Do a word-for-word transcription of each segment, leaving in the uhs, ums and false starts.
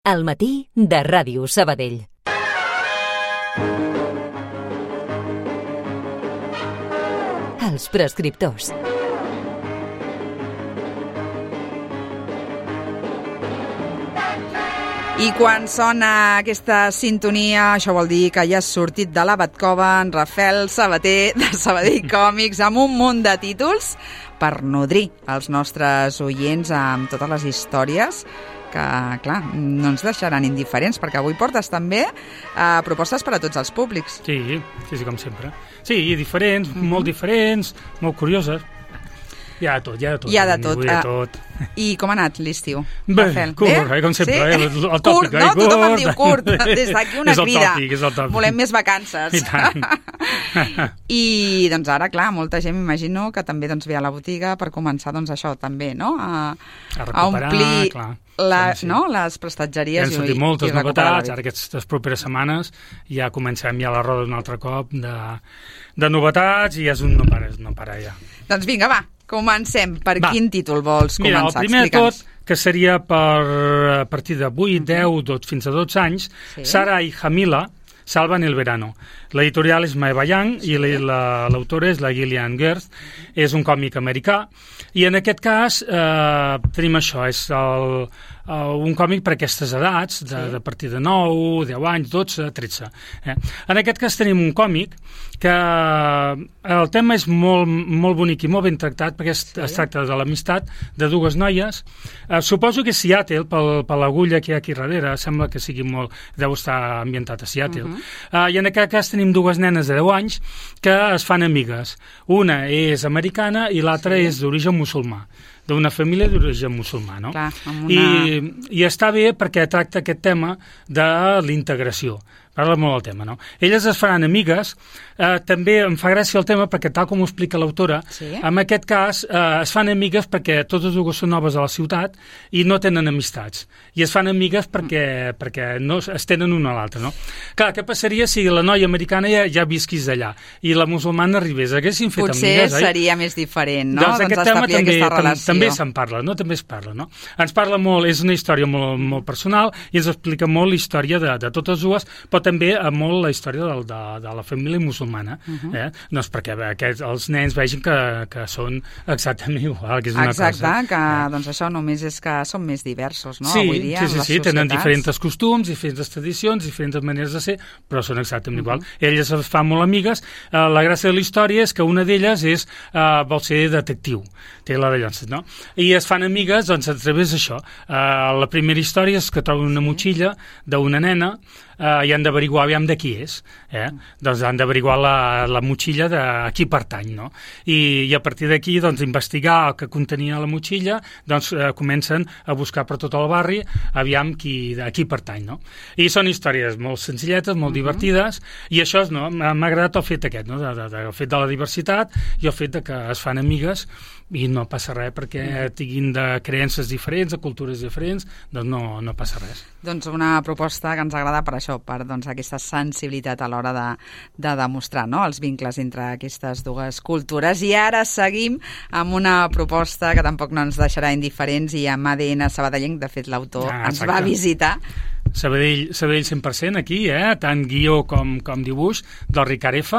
Al matí de Ràdio Sabadell. Els prescriptors. I quan sona aquesta sintonia, això vol dir que ja has sortit de la Batcova en Rafael Sabater de Sabadell Còmics amb un munt de títols per nodrir els nostres oients amb totes les històries que, clar, no ens deixaran indiferents, perquè avui portes també eh, propostes per a tots els públics. Sí, sí, sí, com sempre. Sí, diferents, mm-hmm. molt diferents, molt curioses. Hi ha de tot, hi ha de tot. Hi ha de tot. Hi ha de tot. I com ha anat l'estiu? Bé, curt, eh, com sempre. Sí? Eh? El, el tòpic, curt, no? Eh? Curt. Tothom em diu curt. Des d'aquí una és el crida. Tòpic, és el tòpic. Volem més vacances. I tant. I doncs ara, clar, molta gent m'imagino que també doncs, ve a la botiga per començar doncs, això també, no? A, a, a omplir clar. La, sí, sí. No? les prestatgeries. Han sortit moltes novetats, ara aquestes properes setmanes ja comencem ja la roda un altre cop de, de novetats i és un no para, no para ja. Doncs vinga, va, comencem. Per va. Quin títol vols Mira, començar? El primer de tot, que seria per a partir de vuit, deu, dotze, fins a dotze anys, sí. Sara i Jamila salvan el verano. L'editorial és Maeva Young sí. i l'autora és la Gillian Gerst. És un còmic americà i en aquest cas eh, tenim això, és el, uh, un còmic per aquestes edats, de, sí. de partir de nou, deu anys, dotze, tretze. Eh? En aquest cas tenim un còmic que el tema és molt, molt bonic i molt ben tractat perquè es, sí. es tracta de l'amistat de dues noies. Eh, suposo que Seattle, pel, per l'agulla que hi ha aquí darrere, sembla que sigui molt, deu estar ambientat a Seattle. Uh-huh. eh, I en aquest cas tenim dues nenes de deu anys que es fan amigues. Una és americana i l'altra sí. és d'origen musulmà, d'una família d'origen musulmà, no? Clar, una... I, I està bé perquè tracta aquest tema de l'integració. Parla molt del tema, no? Elles es faran amigues, eh, també em fa gràcia el tema perquè tal com ho explica l'autora, sí. en aquest cas eh, es fan amigues perquè totes dues són noves a la ciutat i no tenen amistats. I es fan amigues perquè, mm. perquè no es tenen una a l'altra, no? Clar, què passaria si la noia americana ja, ja visquís allà i la musulmana arribés? Haguessin fet Potser amigues, oi? Potser seria més diferent, no? Doncs, doncs aquest tema també, aquesta relació. també se'n parla, no? També es parla, no? Ens parla molt, és una història molt, molt personal i ens explica molt la història de, de totes dues, però també molt la història de, de, de la família musulmana, uh-huh. eh? No és perquè aquests, els nens vegin que, que són exactament igual, que és una Exacte, cosa. que eh? doncs això només és que són més diversos, no? Sí, Avui dia, sí, sí, les sí tenen societats. diferents costums, diferents tradicions, diferents maneres de ser, però són exactament uh-huh. igual. Elles es fan molt amigues. Eh, la gràcia de la història és que una d'elles és, eh, vol ser detectiu, té la de llances, no? I es fan amigues, doncs, a través d'això. Eh, la primera història és que troben una motxilla d'una nena Uh, i han d'averiguar aviam de qui és. Eh? Mm. Doncs han d'averiguar la, la motxilla de a qui pertany, no? I, i a partir d'aquí, doncs, investigar el que contenia la motxilla, doncs uh, comencen a buscar per tot el barri aviam qui, a qui pertany, no? I són històries molt senzilletes, molt mm-hmm. divertides, i això és, no, m'ha agradat el fet aquest, no? De, de, de, el fet de la diversitat i el fet de que es fan amigues i no passa res perquè tinguin de creences diferents, de cultures diferents, doncs no, no passa res. Doncs una proposta que ens agrada per això, per doncs, aquesta sensibilitat a l'hora de, de demostrar, no?, els vincles entre aquestes dues cultures. I ara seguim amb una proposta que tampoc no ens deixarà indiferents i amb A D N sabadellenc, de fet l'autor ah, ens va visitar. Sabadell, Sabadell cent per cent aquí, eh? Tant guió com, com dibuix, del Ricard F.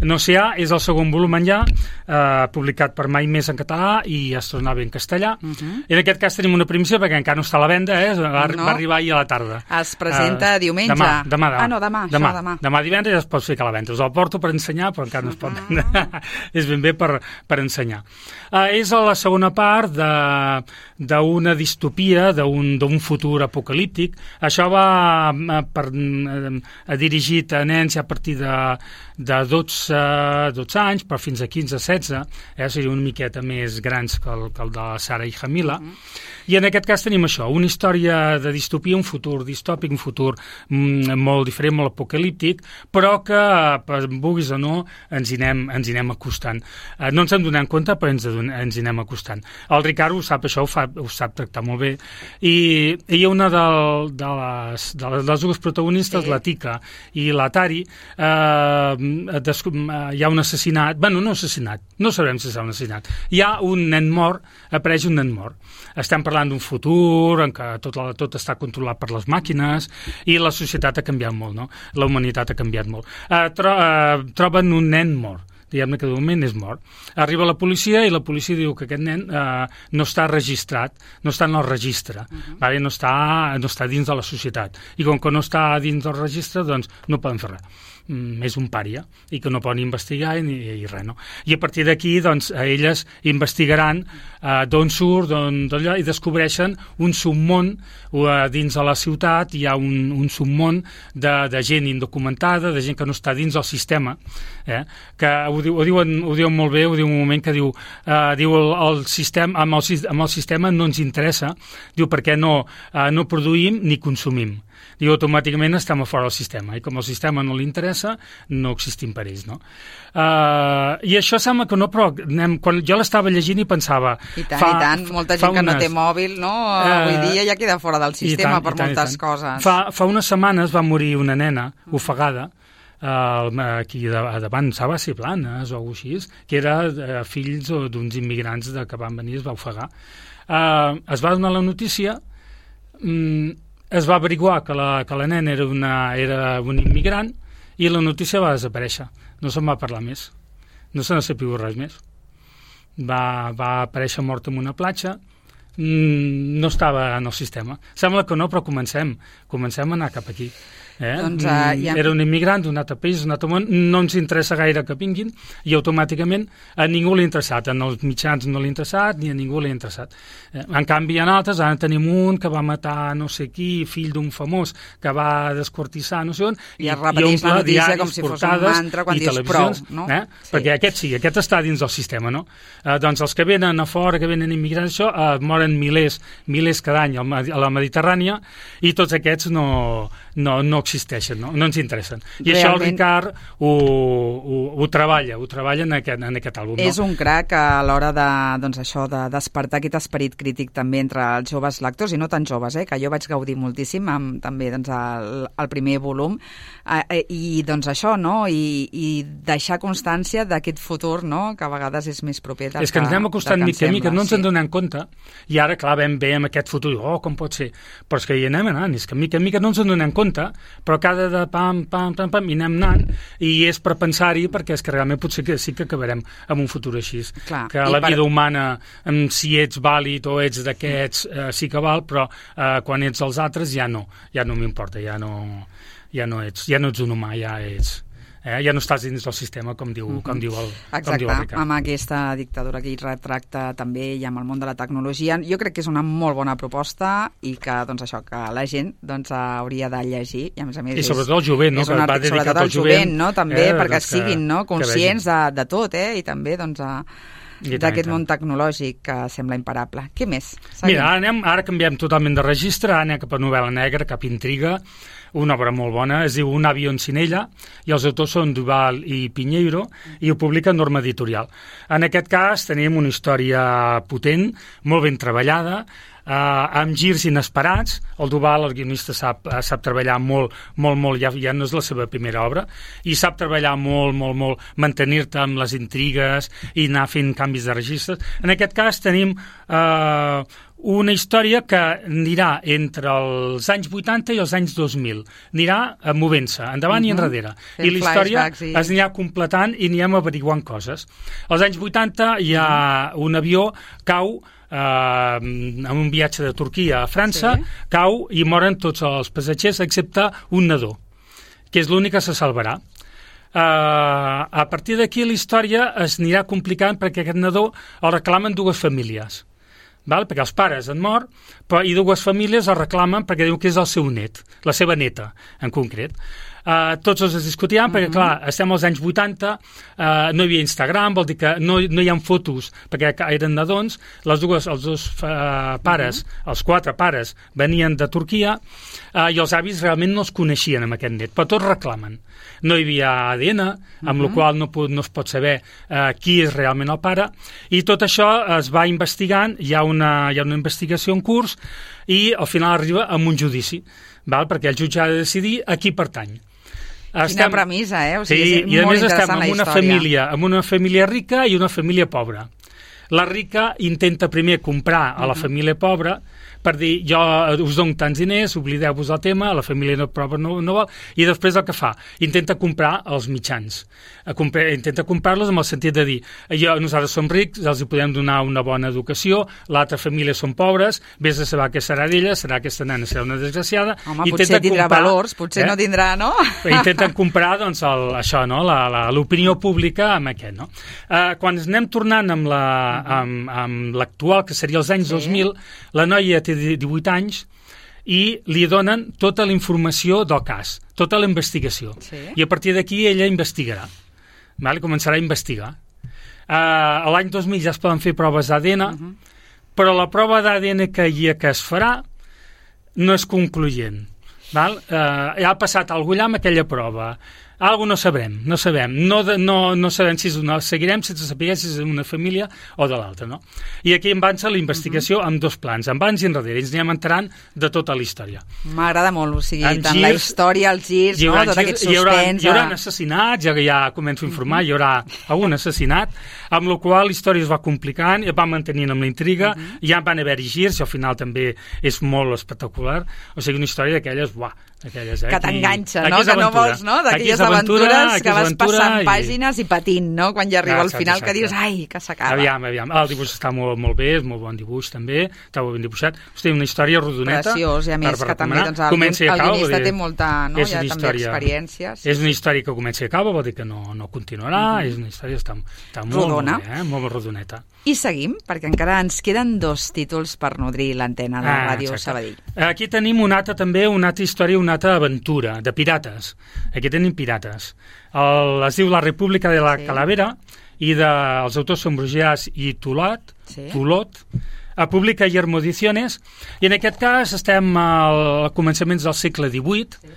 No sé, és el segon volum ja, eh, publicat per Mai Més en català i es tornava en castellà. Uh-huh. I en aquest cas tenim una primícia perquè encara no està a la venda, eh? va, no. va arribar ahir a la tarda. Es presenta uh, diumenge. Demà, demà, demà. Ah, no, demà, demà, això, demà. Demà divendres ja es pot ficar a la venda. Us el porto per ensenyar, però encara no es pot vendre. Uh-huh. És ben bé per, per ensenyar. Uh, és a la segona part d'una distopia, d'un futur apocalíptic. Això va per, a dirigit a nens a partir de, de dotze, dotze anys, però fins a quinze, setze, eh? Seria una miqueta més grans que el, que el de Sara i Jamila. Mm-hmm. I en aquest cas tenim això, una història de distopia, un futur distòpic, un futur mm, molt diferent, molt apocalíptic, però que, per vulguis o no, ens hi anem, ens hi anem acostant. Eh, no ens en donem compte, però ens, ens hi anem acostant. El Ricard ho sap, això ho fa sap, ho sap tractar molt bé, i ella, una del, de, les, de les, les dues protagonistes, sí. la Tika i la Tari, eh, des, hi ha un assassinat, bueno, no assassinat, no sabrem si és un assassinat, hi ha un nen mort, apareix un nen mort. Estem parlant d'un futur en què tot, la, tot està controlat per les màquines i la societat ha canviat molt, no? La humanitat ha canviat molt. Eh, tro, eh, troben un nen mort, diguem-ne que de moment és mort. Arriba la policia i la policia diu que aquest nen eh, no està registrat, no està en el registre, uh-huh. vale? no, està, no està dins de la societat. I com que no està dins del registre, doncs no poden fer res. Mm, és un pària i que no poden investigar i, i res, no? I a partir d'aquí, doncs, elles investigaran eh, d'on surt, d'on, d'allò, i descobreixen un submón eh, dins de la ciutat. Hi ha un, un submón de, de gent indocumentada, de gent que no està dins del sistema, eh? que ho, diu, ho, diuen, ho diuen molt bé, ho diu un moment que diu, eh, diu el, el sistema, amb, el, amb el sistema no ens interessa, diu perquè no, eh, no produïm ni consumim. Diu, automàticament estem a fora del sistema, i com el sistema no li interessa, no existim per ells, no? Uh, I això sembla que no, però anem, quan jo l'estava llegint i pensava... I tant, fa, i tant, molta gent unes, que no té mòbil, no? Uh, Avui dia ja queda fora del sistema tant, per tant, moltes coses. Fa, fa unes setmanes va morir una nena ofegada, uh, aquí de, davant, va ser Blanes o alguna cosa així, que era uh, fills d'uns immigrants de, que van venir i es va ofegar. Uh, es va donar la notícia... Um, es va averiguar que la, que la nena era, una, era un immigrant i la notícia va desaparèixer. No se'n va parlar més. No se n'ha sabut res més. Va, va aparèixer mort en una platja. Mm, no estava en el sistema. Sembla que no, però comencem. Comencem a anar cap aquí. Eh? Doncs, uh, ja... Era un immigrant d'un altre país, d'un altre món, no ens interessa gaire que vinguin i automàticament a ningú l'ha interessat, en els mitjans no l'ha interessat ni a ningú l'ha interessat. Eh? En canvi, en altres, ara tenim un que va matar no sé qui, fill d'un famós, que va desquartissar no sé on, i, i es repeteix la notícia com si fos un mantra quan dius prou, no? Eh? Sí. Perquè aquest sí, aquest està dins del sistema, no? Eh, doncs els que venen a fora, que venen immigrants, això, eh, moren milers, milers cada any a la Mediterrània i tots aquests no, no, no existeixen, no, no ens interessen. I Realment... això el Ricard ho, ho, ho treballa, ho treballa en aquest, en aquest àlbum. És no? un crac a l'hora de, doncs això, de despertar aquest esperit crític també entre els joves lectors, i no tan joves, eh, que jo vaig gaudir moltíssim amb també doncs, el, el primer volum, eh, i doncs això, no? I, i deixar constància d'aquest futur, no? Que a vegades és més proper del que, és que ens anem acostant mica a mica, no ens sí. en donem compte, i ara, clar, vam bé amb aquest futur, oh, com pot ser? Però és que hi anem anant, és que mica a mica no ens en donem compte, però cada de pam, pam, pam, pam, i anem anant, i és per pensar-hi, perquè és que realment potser que sí que acabarem amb un futur així. Clar, que la per... vida humana, si ets vàlid o ets d'aquests, eh, sí que val, però eh, quan ets els altres ja no, ja no m'importa, ja no, ja no ets, ja no ets un humà, ja ets... Eh? Ja no estàs dins del sistema, com diu, uh-huh. com diu el Exacte, com diu el Ricard. Amb aquesta dictadura que hi retracta també i amb el món de la tecnologia. Jo crec que és una molt bona proposta i que, doncs això, que la gent doncs, hauria de llegir. I, a més a més, I sobretot el jovent, no? Que va dedicat al jovent, jovent no? També, eh, perquè doncs siguin no? conscients de, de tot, eh? I també doncs, a, d'aquest món tecnològic que sembla imparable. Què més? Seguim. Mira, ara, anem, ara canviem totalment de registre, ara anem cap a novel·la negra, cap a intriga, una obra molt bona, es diu Un avión sin ella, i els autors són Duval i Pinheiro, i ho publica Norma Editorial. En aquest cas tenim una història potent, molt ben treballada, Uh, amb girs inesperats. El Duval, el guionista, sap, uh, sap treballar molt, molt, molt, ja, ja no és la seva primera obra, i sap treballar molt, molt, molt, mantenir-te amb les intrigues i anar fent canvis de registres. En aquest cas tenim uh, una història que anirà entre els anys vuitanta i els anys dos mil. Anirà uh, movent-se, endavant uh-huh. i enrere. Fent I la història i... es anirà completant i anirem averiguant coses. Als anys vuitanta hi ha uh-huh. un avió, cau, Uh, en un viatge de Turquia a França, sí. cau i moren tots els passatgers excepte un nadó, que és l'únic que se salvarà. Uh, a partir d'aquí la història es anirà complicant perquè aquest nadó el reclamen dues famílies. Val? Perquè els pares han mort, però, i dues famílies el reclamen perquè diuen que és el seu net, la seva neta, en concret. Uh, tots els es discutien, uh -huh. perquè, clar, estem als anys vuitanta, uh, no hi havia Instagram, vol dir que no, no hi ha fotos, perquè eren nadons, les dues, els dos uh, pares, uh -huh. els quatre pares, venien de Turquia, uh, i els avis realment no es coneixien amb aquest net, però tots reclamen. No hi havia A D N, amb uh -huh. la qual no, no es pot saber uh, qui és realment el pare, i tot això es va investigant, hi ha una, hi ha una investigació en curs, i al final arriba amb un judici, val? Perquè el jutge ha de decidir a qui pertany. Quina estem... premissa, eh? O sigui, sí, és i a molt més estem amb una família, amb una família rica i una família pobra. La rica intenta primer comprar a la família pobra per dir, jo us dono tants diners, oblideu-vos del tema, la família no, pobra no, no vol, i després el que fa? Intenta comprar els mitjans. Comprar, intenta comprar-los amb el sentit de dir, jo, nosaltres som rics, els hi podem donar una bona educació, l'altra família són pobres, vés a saber què serà d'ella, serà aquesta nena, serà una desgraciada. Home, potser tindrà comprar, valors, potser eh? no tindrà, no? Intenten comprar, doncs, el, això, no? l'opinió pública amb aquest, no? Uh, quan anem tornant amb la amb, amb l'actual, que seria els anys sí. dos mil, la noia té divuit anys i li donen tota la informació del cas, tota la investigació. Sí. I a partir d'aquí ella investigarà. Vale? Començarà a investigar. Uh, L'any dos mil ja es poden fer proves d'A D N, uh -huh. però la prova d'A D N que, hi, que es farà no és concloent. Val? Uh, ja ha passat alguna amb aquella prova. Algo no sabrem, no sabem. No, de, no, no sabem si és una... Seguirem sense saber si és una família o de l'altra, no? I aquí em avança la investigació uh -huh. amb dos plans, abans i enrere. Ens anem enterant de tota la història. M'agrada molt, o sigui, en tant girs, la història, els girs, no? Tot aquest suspens... Hi haurà, hi haurà assassinats, ja, ja començo a informar, uh -huh. hi haurà algun assassinat, amb la qual la història es va complicant, es va mantenint amb la intriga, uh -huh. ja van haver-hi girs, i al final també és molt espectacular. O sigui, una història d'aquelles, uah, d'aquelles, eh? Que t'enganxa, no? Que no vols, no? D'aquelles aventures que vas passant i... pàgines i patint, no? Quan ja arriba ah, al final exacte. Que dius, ai, que s'acaba. Aviam, aviam. El dibuix està molt, molt bé, és molt bon dibuix també, està molt ben dibuixat. Hosti, una història rodoneta. Preciós, i a més que també doncs, el, el guionista té molta, no? Ja també experiència. Sí, és una història que comença i acaba, vol dir que no, no continuarà, mm-hmm. és una història que està, està molt, Rodona. molt bé, eh? molt rodoneta. I seguim, perquè encara ens queden dos títols per nodrir l'antena de ah, Ràdio exacte. Sabadell. Aquí tenim una altra també, una altra història, una altra aventura, de pirates. Aquí tenim pirates. El, es diu La República de la sí. Calavera, i de, els autors són Brugès i Tulot, sí. Tulot, a publica Yermo Ediciones, i en aquest cas estem al començaments del segle divuit, sí.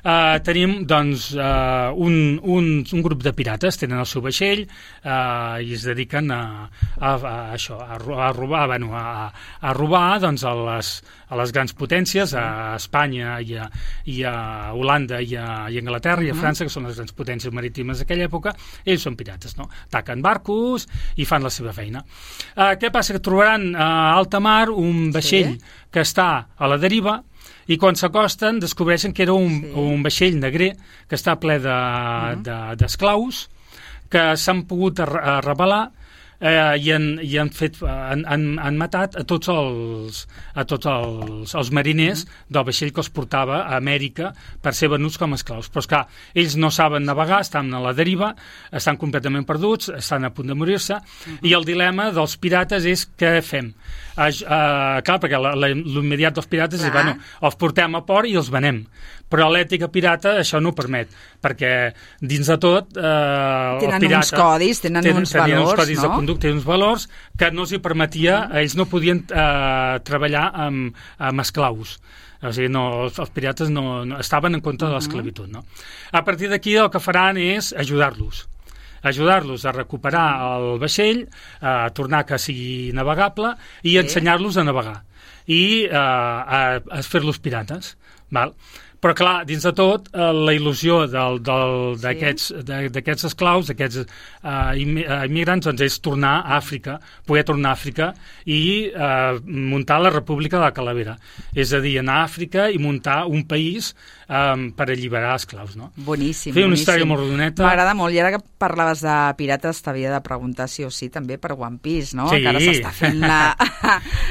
uh, tenim doncs uh, un, un, un grup de pirates, tenen el seu vaixell uh, i es dediquen a, a, a això, a, a robar, bueno, a, a robar doncs, a, les, a les grans potències, a Espanya i a, i a Holanda i a, i a Anglaterra i a França, que són les grans potències marítimes d'aquella època. Ells són pirates, no? Ataquen barcos i fan la seva feina. Uh, què passa? Que trobaran uh, a alta mar un vaixell sí. que està a la deriva, i quan s'acosten descobreixen que era un, sí. un vaixell negrer que està ple d'esclaus de, uh-huh. que s'han pogut rebel·lar eh, i, han, i han, fet, han, han, han matat a tots els, a tots els, els mariners uh-huh. del vaixell que els portava a Amèrica per ser venuts com a esclaus. Però, esclar, ells no saben navegar, estan a la deriva, estan completament perduts, estan a punt de morir-se, uh-huh. i el dilema dels pirates és què fem? Uh, uh, clar, perquè l'immediat dels pirates és, bueno, els portem a port i els venem. Però l'ètica pirata això no ho permet, perquè dins de tot eh, tenen el pirata... uns codis, tenen, tenen uns valors, uns codis no? de conducta, tenen uns valors que no els hi permetia, mm. ells no podien eh, treballar amb, amb esclaus. O sigui, no, els, els pirates no, no estaven en contra de l'esclavitud, no? A partir d'aquí el que faran és ajudar-los. ajudar-los a recuperar el vaixell, a tornar que sigui navegable i sí. ensenyar-los a navegar i eh, a, a fer-los pirates, val? Però, clar, dins de tot, eh, la il·lusió d'aquests sí. esclaus, d'aquests eh, immigrants, doncs, és tornar a Àfrica, poder tornar a Àfrica i eh, muntar la República de la Calavera. És a dir, anar a Àfrica i muntar un país eh, per alliberar esclaus, no? Boníssim, Fer una boníssim. història molt rodoneta. M'agrada molt. I ara que parlaves de pirates, t'havia de preguntar sí o sí també per One Piece, no? Sí. Que ara s'està fent la...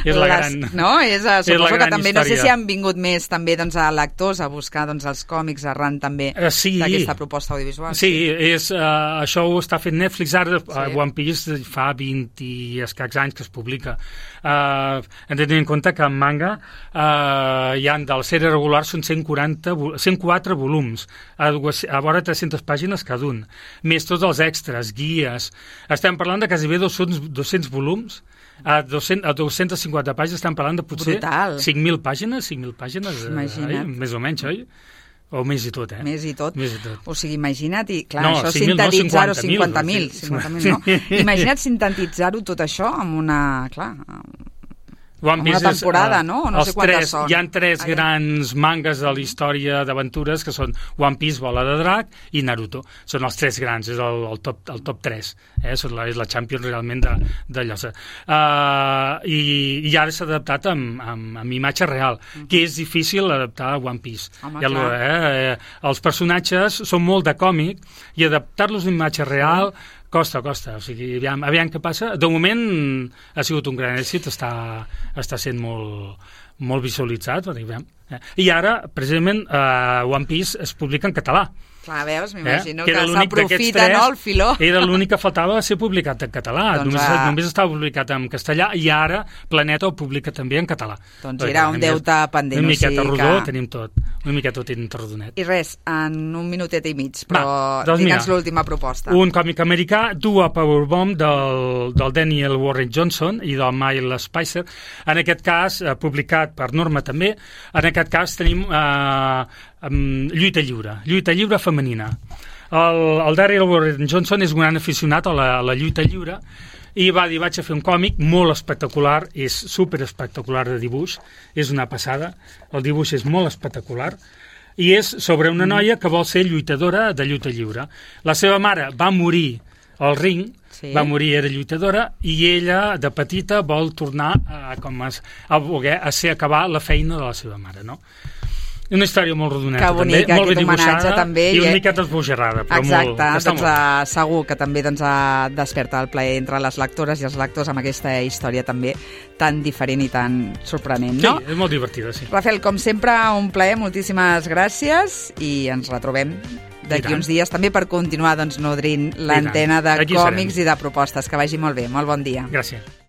és la gran... No? És, suposo és la que gran també, història. no sé si han vingut més també doncs, a lectors a buscar doncs, els còmics arran també uh, sí. d'aquesta proposta audiovisual. Sí, sí. És, uh, això ho està fent Netflix ara, sí. uh, One Piece fa vint i escacs anys que es publica. Uh, hem de tenir en compte que en manga uh, hi ha de la sèrie regular són cent quaranta, cent quatre volums, a, a vora tres-centes pàgines cada un, més tots els extras, guies. Estem parlant de quasi bé dos-cents volums. A, dues-centes, a dues-centes cinquanta pàgines estem parlant de potser Brutal. cinc mil pàgines, cinc mil pàgines, Imagina't. eh, més o menys, oi? O més i tot, eh? Més i tot. Més i tot. O sigui, imagina't, i clar, no, això cinc mil, sintetitzar-ho, no, cinquanta mil, cinquanta mil, no? Imagina't sintetitzar-ho tot això amb una, clar, One una temporada, és, uh, no? No sé quantes tres, són. Hi ha tres Allà. grans mangas de la història d'aventures que són One Piece, Bola de Drac i Naruto. Són els tres grans, és el, el, top, el top tres. Eh? Són la, és la Champions realment de, de llosa. Uh, i, I ara s'ha adaptat amb, amb, amb imatge real, uh -huh. que és difícil adaptar a One Piece. Home, I el, eh, els personatges són molt de còmic i adaptar-los a imatge real costa, costa. O sigui, aviam, aviam què passa. De moment ha sigut un gran èxit, està, està sent molt, molt visualitzat. Aviam. I ara, precisament, uh, One Piece es publica en català. Clar, veus, m'imagino eh? que, que s'aprofita, no, el filó. Era l'únic que faltava ser publicat en català. Doncs només, a... només estava publicat en castellà i ara Planeta ho publica també en català. Doncs era un deute pendent. Una miqueta o sigui rodó, que... tenim tot. Una miqueta tenim tot rodonet. I res, en un minutet i mig, però Va, doncs digue'ns l'última proposta. Un còmic americà, Dua Powerbomb, del, del Daniel Warren Johnson i del Miles Spicer. En aquest cas, eh, publicat per Norma també, en aquest cas tenim eh, um, lluita lliure, lluita lliure femenina. El, el Daniel Warren Johnson és un gran aficionat a la, a la lluita lliure i va dir, vaig a fer un còmic molt espectacular, és super espectacular de dibuix, és una passada, el dibuix és molt espectacular, i és sobre una noia que vol ser lluitadora de lluita lliure. La seva mare va morir al ring, sí. va morir, era lluitadora, i ella, de petita, vol tornar a, com a, a voler a ser acabar la feina de la seva mare, no? Una història molt rodoneta, que bonica, també, molt ben dibuixada també, i una miqueta esbojarrada, però exacte, molt, està doncs, molt. Uh, segur que també doncs, uh, desperta el plaer entre les lectores i els lectors amb aquesta història també tan diferent i tan sorprenent, no? Sí, és molt divertida, sí. Rafael, com sempre, un plaer, moltíssimes gràcies i ens retrobem d'aquí uns dies també per continuar doncs, nodrint l'antena de còmics i de propostes. Que vagi molt bé, molt bon dia. Gràcies.